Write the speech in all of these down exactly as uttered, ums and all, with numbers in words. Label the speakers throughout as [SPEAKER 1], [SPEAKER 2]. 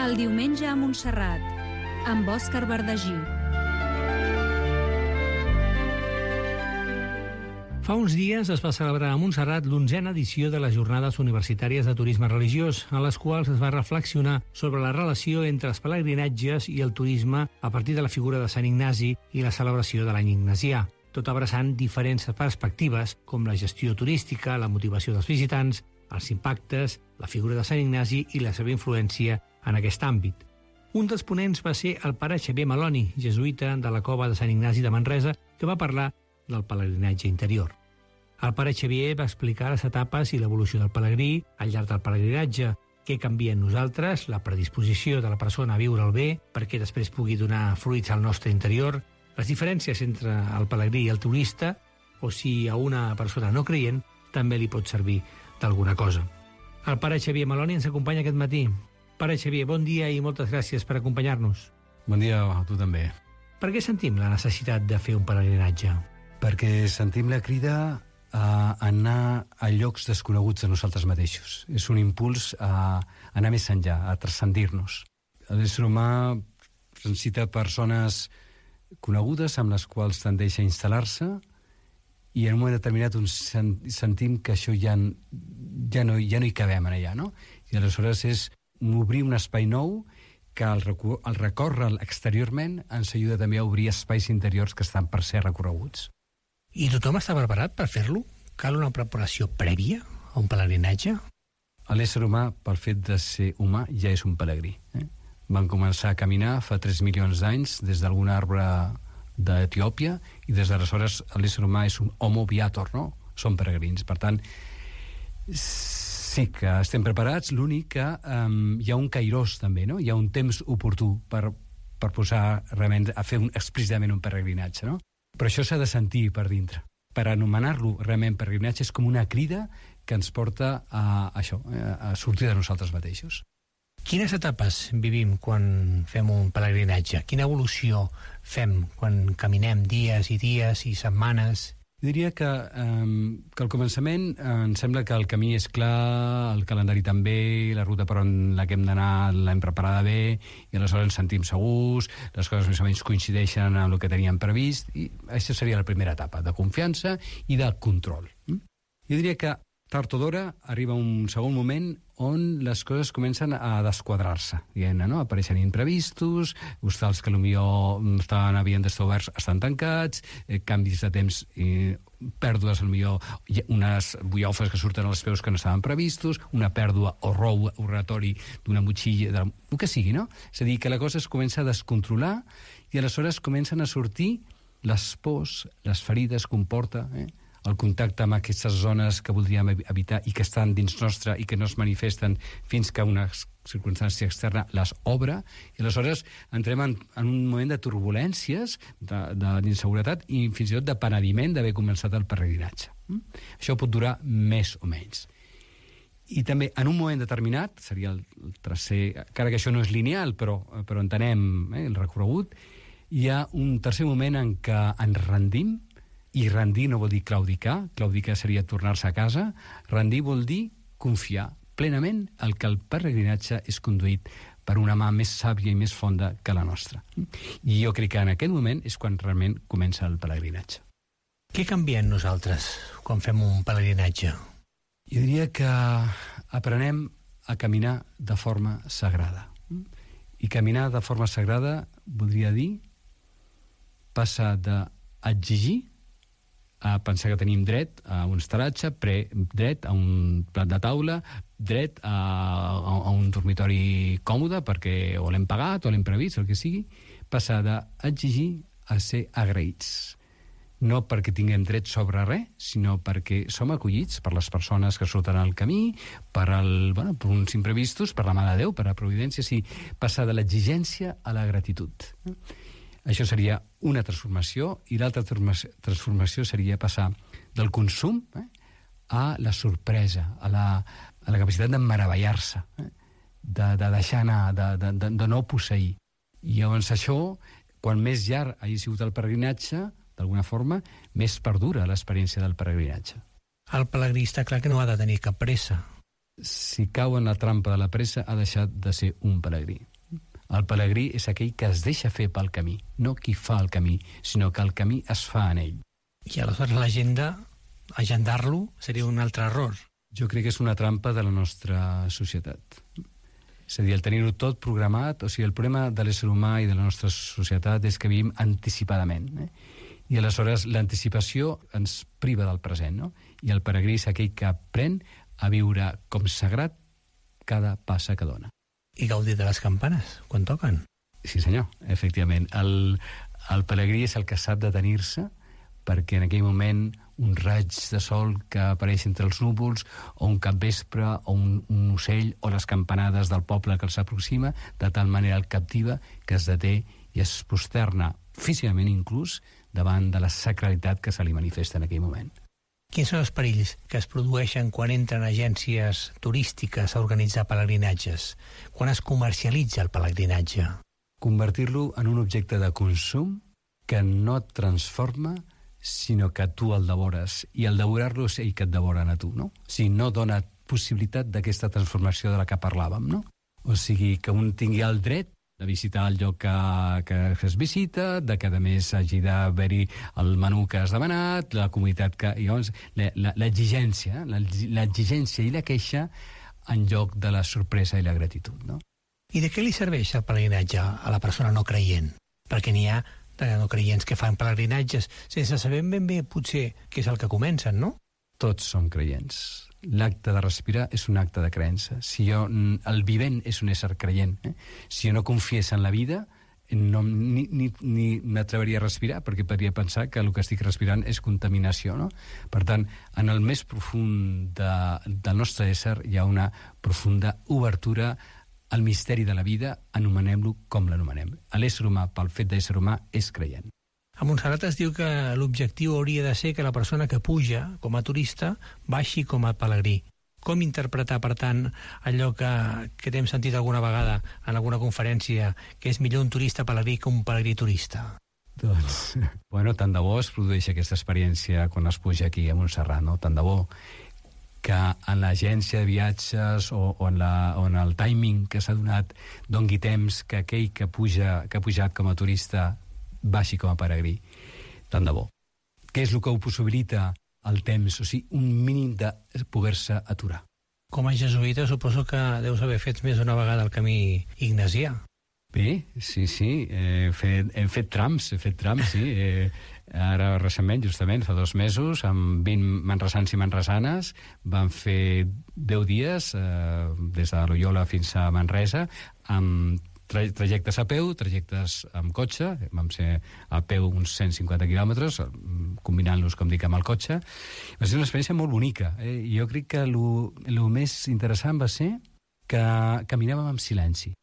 [SPEAKER 1] El diumenge a Montserrat, amb Òscar Verdagí.
[SPEAKER 2] Fa uns dies es va celebrar a Montserrat l'onzena edició de les Jornades Universitàries de Turisme Religiós, en les quals es va reflexionar sobre la relació entre els pelegrinatges i el turisme a partir de la figura de Sant Ignasi i la celebració de l'any ignasià, tot abraçant diferents perspectives com la gestió turística, la motivació dels visitants, els impactes, la figura de Sant Ignasi i la seva influència en aquest àmbit. Un dels ponents va ser el pare Xavier Maloni, jesuïta de la cova de Sant Ignasi de Manresa, que va parlar del pelegrinatge interior. El pare Xavier va explicar les etapes i l'evolució del pelegrí al llarg del pelegrinatge, què canvia en nosaltres, la predisposició de la persona a viure el bé perquè després pugui donar fruits al nostre interior, les diferències entre el pelegrí i el turista, o si a una persona no creient també li pot servir d'alguna cosa. El pare Xavier Maloni ens acompanya aquest matí. Pare Xavier, bon dia i moltes gràcies per acompanyar-nos.
[SPEAKER 3] Bon dia a tu també.
[SPEAKER 2] Per què sentim la necessitat de fer un pelegrinatge?
[SPEAKER 3] Perquè sentim la crida a anar a llocs desconeguts de nosaltres mateixos. És un impuls a anar més enllà, a transcendir-nos. L'ésser humà necessita persones conegudes amb les quals tendeix a instal·lar-se i en un moment determinat sentim que això ja, ja, no, ja no hi cabem allà, no? I aleshores és obrir un espai nou que el, el recórrer exteriorment ens ajuda també a obrir espais interiors que estan per ser recorreguts.
[SPEAKER 2] I tothom està preparat per fer-lo? Cal una preparació prèvia a un pelegrinatge?
[SPEAKER 3] L'ésser humà, pel fet de ser humà, ja és un pelegrí. Eh? Van començar a caminar fa tres milions d'anys des d'algun arbre d'Etiòpia i des d'aleshores l'ésser humà és un homo viator, no? Són peregrins. Per tant, sí que estem preparats, l'únic que um, hi ha un kairós també, no? Hi ha un temps oportú per, per posar realment a fer un, explícitament un peregrinatge, no? Però això s'ha de sentir per dintre. Per anomenar-lo realment peregrinatge és com una crida que ens porta a això, a sortir de nosaltres mateixos.
[SPEAKER 2] Quines etapes vivim quan fem un pelegrinatge? Quina evolució fem quan caminem dies i dies i setmanes?
[SPEAKER 3] Diria que, um, que al començament eh, em sembla que el camí és clar, el calendari també, la ruta per on la que hem d'anar l'hem preparada bé i aleshores ens sentim segurs, les coses més o menys coincideixen amb el que teníem previst i aquesta seria la primera etapa, de confiança i de control. Mm? Jo diria que tard o d'hora arriba un segon moment on les coses comencen a desquadrar-se, diguem-ne, no? Apareixen imprevistos, hostals que potser estaven, havien d'estar oberts estan tancats, eh, canvis de temps, eh, pèrdues, potser unes buiofes que surten als peus que no estaven previstos, una pèrdua o rou oratori d'una motxilla, de, el que sigui, no? És a dir, que la cosa es comença a descontrolar i aleshores comencen a sortir les pors, les ferides que comporta, eh? el contacte amb aquestes zones que voldríem evitar i que estan dins nostre i que no es manifesten fins que una circumstància externa les obre, i aleshores entrem en, en un moment de turbulències, d'inseguretat i fins i tot de penediment d'haver començat el peregrinatge. Mm? Això pot durar més o menys. I també, en un moment determinat, seria el tercer, encara que això no és lineal, però, però entenem eh, el recorregut, hi ha un tercer moment en què ens rendim. I rendir no vol dir claudicar, claudicar seria tornar-se a casa, rendir vol dir confiar plenament el que el peregrinatge és conduït per una mà més sàvia i més fonda que la nostra. I jo crec que en aquest moment és quan realment comença el pelegrinatge.
[SPEAKER 2] Què canvia en nosaltres quan fem un pelegrinatge?
[SPEAKER 3] Jo diria que aprenem a caminar de forma sagrada. I caminar de forma sagrada voldria dir passar d'exigir a pensar que tenim dret a un estaratge, pre, dret a un plat de taula, dret a, a, a un dormitori còmode perquè o l'hem pagat o l'hem previst, el que sigui, passar d'exigir a ser agraïts. No perquè tinguem dret sobre res, sinó perquè som acollits per les persones que surten al camí, per, el, bueno, per uns imprevistos, per la mà de Déu, per la providència, sí, passar de l'exigència a la gratitud. Això seria una transformació, i l'altra transformació seria passar del consum eh, a la sorpresa, a la, a la capacitat de meravellar-se, eh, de, de deixar anar, de, de, de, de no posseir. I llavors això, quan més llarg hagi sigut el peregrinatge, d'alguna forma, més perdura l'experiència del peregrinatge.
[SPEAKER 2] El pelegrí està clar que no ha de tenir cap pressa.
[SPEAKER 3] Si cau en la trampa de la pressa, ha deixat de ser un pelegrí. El pelegrí és aquell que es deixa fer pel camí, no qui fa el camí, sinó que el camí es fa en ell.
[SPEAKER 2] I aleshores l'agenda, agendar-lo, seria un altre error.
[SPEAKER 3] Jo crec que és una trampa de la nostra societat. És a dir, el tenir-ho tot programat, o sigui, el problema de l'ésser humà i de la nostra societat és que vivim anticipadament, eh? I aleshores l'anticipació ens priva del present, no? I el peregrí és aquell que aprèn a viure com sagrat cada passa que dona.
[SPEAKER 2] I gaudir de les campanes, quan toquen.
[SPEAKER 3] Sí, senyor, efectivament. El, el pelegrí és el que sap detenir-se perquè en aquell moment un raig de sol que apareix entre els núvols, o un capvespre, o un, un ocell, o les campanades del poble que els aproxima, de tal manera el captiva que es deté i es posterna, físicament inclús, davant de la sacralitat que se li manifesta en aquell moment.
[SPEAKER 2] Quins són els perills que es produeixen quan entren agències turístiques a organitzar pelegrinatges? Quan es comercialitza el pelegrinatge?
[SPEAKER 3] Convertir-lo en un objecte de consum que no et transforma, sinó que tu el devores, i el devorar-lo és ell que et devoren a tu, no? O sigui, no dona possibilitat d'aquesta transformació de la que parlàvem, no? O sigui, que un tingui el dret de visitar el lloc que, que es visita, de que a més hagi d'haver-hi el menú que has demanat, la comunitat que... Llavors, l'exigència, l'exigència i la queixa en lloc de la sorpresa i la gratitud, no?
[SPEAKER 2] I de què li serveix el pelegrinatge a la persona no creient? Perquè n'hi ha de no creients que fan pelegrinatges sense saber ben bé, potser, què és el que comencen, no?
[SPEAKER 3] Tots som creients. L'acte de respirar és un acte de creença. Si jo, el vivent és un ésser creient. Eh? Si jo no confiés en la vida, no, ni, ni, ni m'atreveria a respirar, perquè podria pensar que el que estic respirant és contaminació, no? Per tant, en el més profund de, del nostre ésser hi ha una profunda obertura al misteri de la vida, anomenem-lo com l'anomenem. L'ésser humà, pel fet d'ésser humà, és creient.
[SPEAKER 2] A Montserrat es diu que l'objectiu hauria de ser que la persona que puja com a turista baixi com a pelegrí. Com interpretar, per tant, allò que, que t'hem sentit alguna vegada en alguna conferència, que és millor un turista pelegrí que un pelegrí turista?
[SPEAKER 3] Doncs, bueno, tant de bo es produeix aquesta experiència quan es puja aquí a Montserrat, no? Tant de bo que en l'agència de viatges o, o, en la, o en el timing que s'ha donat dongui temps que aquell que, puja, que ha pujat com a turista baixi com a peregrí. Tant de bo. Què és el que ho possibilita el temps? O sigui, un mínim de poder-se aturar.
[SPEAKER 2] Com a jesuïta suposo que deus haver fet més d'una vegada el camí ignasià.
[SPEAKER 3] Bé, sí, sí, he fet, hem fet trams, he fet trams, sí. Eh, ara recentment, justament, fa dos mesos, amb vint manresans i manresanes, vam fer deu dies, eh, des de Loyola fins a Manresa, amb tra trajectes a peu, trajectes amb cotxe, vam ser a peu uns cent cinquanta quilòmetres, combinant-los, com dic, amb el cotxe. Va ser una experiència molt bonica. Eh? Jo crec que el més interessant va ser que caminàvem amb silenci.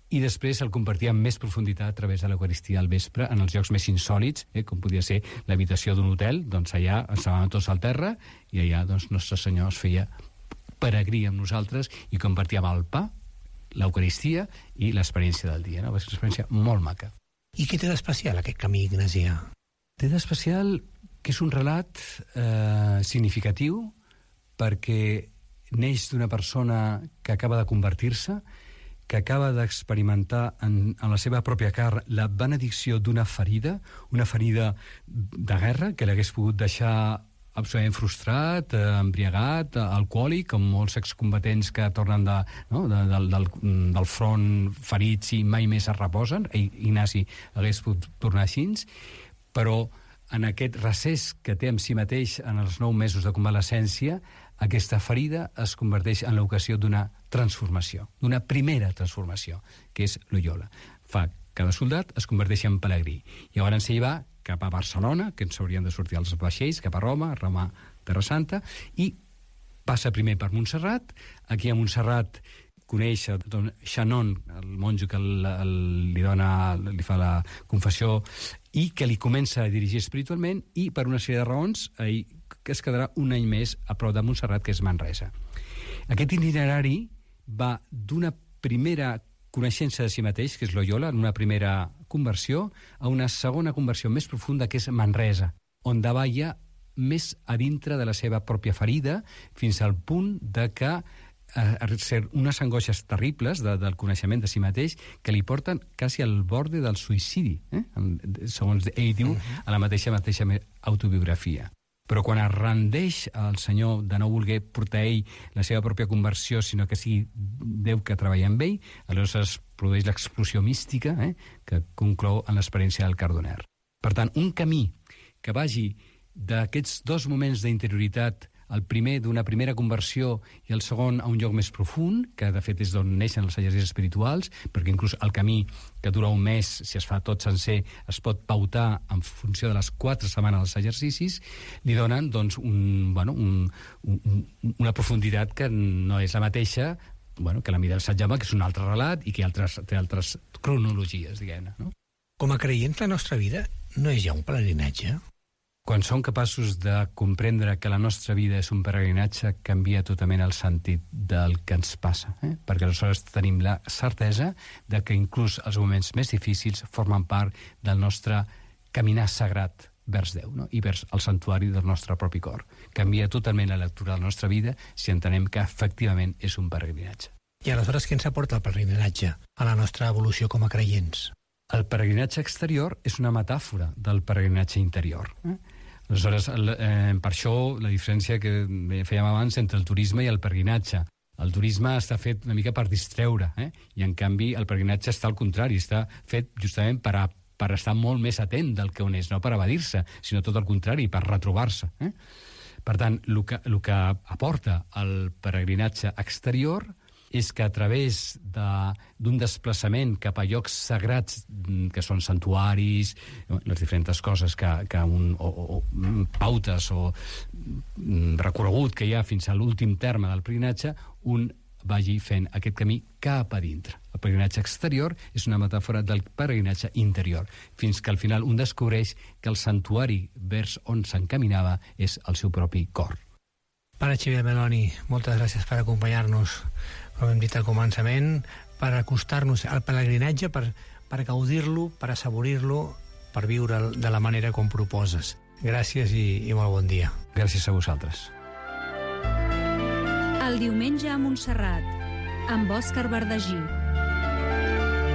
[SPEAKER 3] I després el compartia amb més profunditat a través de l'Eucaristia al vespre en els llocs més insòlits, eh, com podia ser l'habitació d'un hotel, doncs allà ens estàvem tots al terra i allà doncs Nostre Senyor es feia peregrí amb nosaltres i compartíem el pa, l'Eucaristia i l'experiència del dia. No? Va ser una experiència molt maca.
[SPEAKER 2] I què té d'especial aquest camí ignasià?
[SPEAKER 3] Té d'especial que és un relat eh, significatiu perquè neix d'una persona que acaba de convertir-se, que acaba d'experimentar en, en la seva pròpia carn la benedicció d'una ferida, una ferida de guerra que l'hagués pogut deixar absolutament frustrat, eh, embriagat, alcohòlic, com molts excombatents que tornen de, no, de, del, del, del front ferits i mai més es reposen. Ignasi hagués pogut tornar així, però en aquest recés que té amb si mateix en els nou mesos de convalescència, aquesta ferida es converteix en l'ocasió d'una transformació, d'una primera transformació, que és Loyola. Fa que cada soldat es converteix en pelegrí. I llavors ell va cap a Barcelona, que ens haurien de sortir els vaixells, cap a Roma, Roma, Terra Santa, i passa primer per Montserrat. Aquí a Montserrat coneix don Xanon, el monjo que el, el, li, dona, li fa la confessió i que li comença a dirigir espiritualment, i per una sèrie de raons ell que es quedarà un any més a prop de Montserrat, que és Manresa. Aquest itinerari va d'una primera coneixença de si mateix, que és Loyola, en una primera conversió, a una segona conversió més profunda, que és Manresa, on davalla més a dintre de la seva pròpia ferida, fins al punt de que a, a ser unes angoixes terribles de, del coneixement de si mateix que li porten quasi al borde del suïcidi, eh? segons ell diu a la mateixa mateixa autobiografia. Però quan es rendeix el senyor de no voler portar ell la seva pròpia conversió, sinó que sigui Déu que treballa amb ell, aleshores es produeix l'explosió mística eh, que conclou en l'experiència del Cardoner. Per tant, un camí que vagi d'aquests dos moments d'interioritat, el primer d'una primera conversió i el segon a un lloc més profund, que de fet és d'on neixen els exercicis espirituals, perquè inclús el camí que dura un mes, si es fa tot sencer, es pot pautar en funció de les quatre setmanes dels exercicis, li donen doncs, un, bueno, un, un, una profunditat que no és la mateixa bueno, que la mida del Sant Jaume, que és un altre relat i que altres, té altres cronologies, diguem-ne. No?
[SPEAKER 2] Com a creients, la nostra vida no és ja un pelegrinatge?
[SPEAKER 3] Quan som capaços de comprendre que la nostra vida és un peregrinatge, canvia totalment el sentit del que ens passa, eh? perquè aleshores tenim la certesa de que inclús els moments més difícils formen part del nostre caminar sagrat vers Déu, no? I vers el santuari del nostre propi cor. Canvia totalment la lectura de la nostra vida si entenem que efectivament és un peregrinatge.
[SPEAKER 2] I aleshores què ens aporta el peregrinatge a la nostra evolució com a creients?
[SPEAKER 3] El peregrinatge exterior és una metàfora del peregrinatge interior. Eh? Aleshores, eh, per això la diferència que fèiem abans entre el turisme i el peregrinatge. El turisme està fet una mica per distreure, eh? i en canvi el peregrinatge està al contrari, està fet justament per, a, per estar molt més atent del que on és, no per evadir-se, sinó tot el contrari, per retrobar-se. Eh? Per tant, el que, el que aporta el peregrinatge exterior és que a través d'un de, desplaçament cap a llocs sagrats que són santuaris, les diferents coses que, que un, o, o pautes o recorregut que hi ha fins a l'últim terme del peregrinatge, un vagi fent aquest camí cap a dintre. El peregrinatge exterior és una metàfora del peregrinatge interior, fins que al final un descobreix que el santuari vers on s'encaminava és el seu propi cor.
[SPEAKER 2] Pare Xavier Meloni, moltes gràcies per acompanyar-nos, com hem dit al començament, per acostar-nos al pelegrinatge, per, per gaudir-lo, per assaborir-lo, per viure'l de la manera com proposes. Gràcies i, i molt bon dia.
[SPEAKER 3] Gràcies a vosaltres.
[SPEAKER 1] El diumenge a Montserrat, amb Òscar Verdagí.